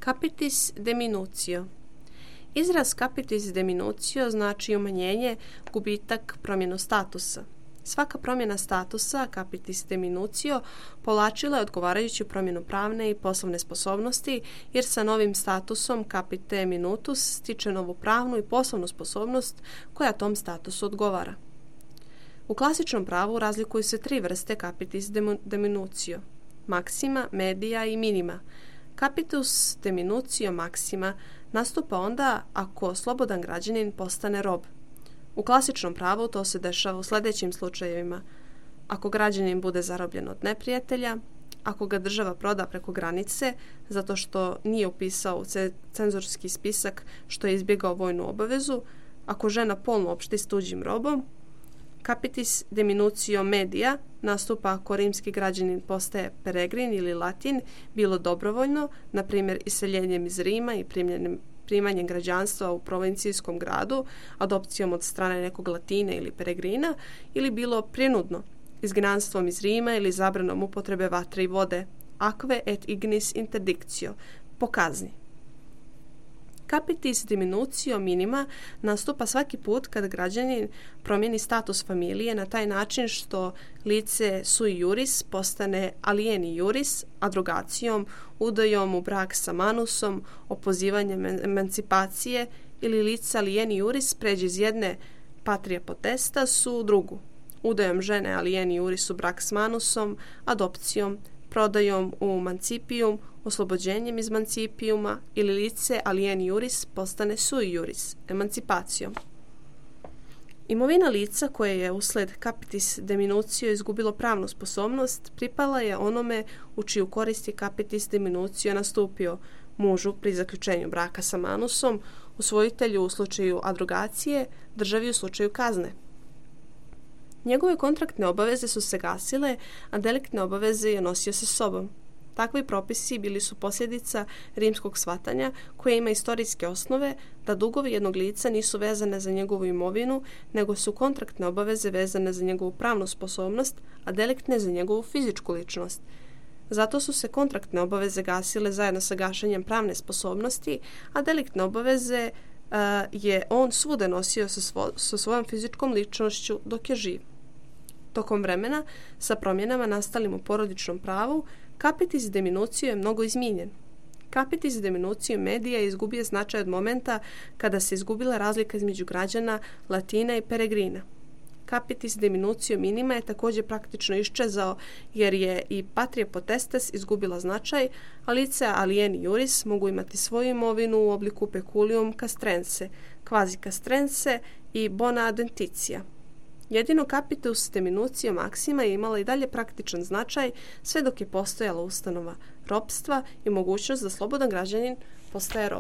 Capitis deminutio. Izraz capitis deminutio znači umanjenje, gubitak, promjenu statusa. Svaka promjena statusa, capitis deminutio, povlačila je odgovarajuću promjenu pravne i poslovne sposobnosti, jer sa novim statusom capite minutus stiče novu pravnu i poslovnu sposobnost koja tom statusu odgovara. U klasičnom pravu razlikuju se tri vrste capitis deminutio: maxima, media i minima. Capitus deminutio maxima nastupa onda ako slobodan građanin postane rob. U klasičnom pravu to se dešava u sljedećim slučajevima: ako građanin bude zarobljen od neprijatelja, ako ga država proda preko granice zato što nije upisao u cenzorski spisak što je izbjegao vojnu obavezu, ako žena polno opšti s tuđim robom. Capitis deminutio media nastupa ako rimski građanin postaje peregrin ili latin, bilo dobrovoljno, na primjer iseljenjem iz Rima i primanjem građanstva u provincijskom gradu, adopcijom od strane nekog latina ili peregrina, ili bilo prinudno, izgnanstvom iz Rima ili zabranom upotrebe vatre i vode, aquae et ignis interdictio, po kazni. Capitis deminutio minima nastupa svaki put kad građanin promijeni status familije na taj način što lice sui juris postane alieni juris, adrogacijom, udajom u brak sa manusom, opozivanjem emancipacije, ili lice alieni juris pređe iz jedne patria potestas u drugu, udajom žene alieni juris u brak s manusom, adopcijom, prodajom u mancipijum, oslobođenjem iz mancipijuma, ili lice alieni juris postane sui juris, emancipacijom. Imovina lica koje je usled capitis deminutio izgubilo pravnu sposobnost pripala je onome u čiju korist je capitis deminutio nastupio: mužu pri zaključenju braka sa manusom, usvojitelju u slučaju adrogacije, državi u slučaju kazne. Njegove kontraktne obaveze su se gasile, a deliktne obaveze je nosio sa sobom. Takvi propisi bili su posljedica rimskog shvatanja koje ima istorijske osnove da dugovi jednog lica nisu vezane za njegovu imovinu, nego su kontraktne obaveze vezane za njegovu pravnu sposobnost, a deliktne za njegovu fizičku ličnost. Zato su se kontraktne obaveze gasile zajedno sa gašenjem pravne sposobnosti, a deliktne obaveze je on svuda nosio sa svojom fizičkom ličnošću dok je živ. Tokom vremena, sa promjenama nastalim u porodičnom pravu, capitis deminutio je mnogo izmijenjen. Capitis deminutio media je izgubio značaj od momenta kada se izgubila razlika između građana, latina i peregrina. Capitis deminutio minima je također praktično iščezao jer je i patria potestas izgubila značaj, a lice alieni juris mogu imati svoju imovinu u obliku peculium castrense, quasi castrense i bona adventitia. Jedino capitus deminutio maxima je imala i dalje praktičan značaj sve dok je postojala ustanova ropstva i mogućnost da slobodan građanin postaje rob.